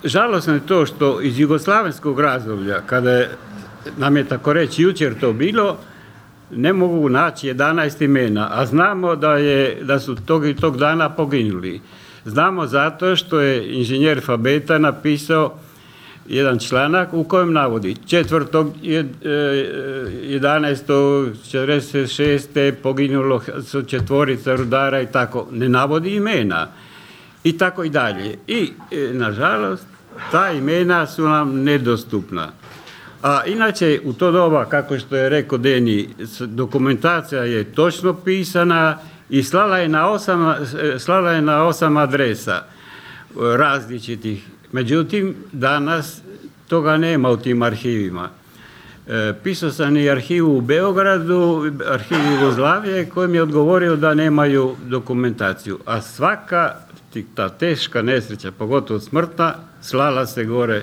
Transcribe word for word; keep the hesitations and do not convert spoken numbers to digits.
žalosno je to što iz jugoslavenskog razdoblja, kada je, nam je tako reći jučer to bilo, ne mogu naći jedanaest imena, a znamo da, je, da su tog i tog dana poginuli. Znamo zato što je inženjer Fabeta napisao jedan članak u kojem navodi četvrtog jedanaestog četrdeset šeste poginulo su četvorica rudara i tako, ne navodi imena i tako i dalje. I nažalost ta imena su nam nedostupna. A inače u to doba, kako što je rekao Deni, dokumentacija je točno pisana i slala je na osam, slala je na osam adresa različitih. Međutim, danas toga nema u tim arhivima. E, pisao sam i arhivu u Beogradu, arhiv Jugoslavije, koji mi je odgovorio da nemaju dokumentaciju. A svaka ta teška nesreća, pogotovo smrtna, slala se gore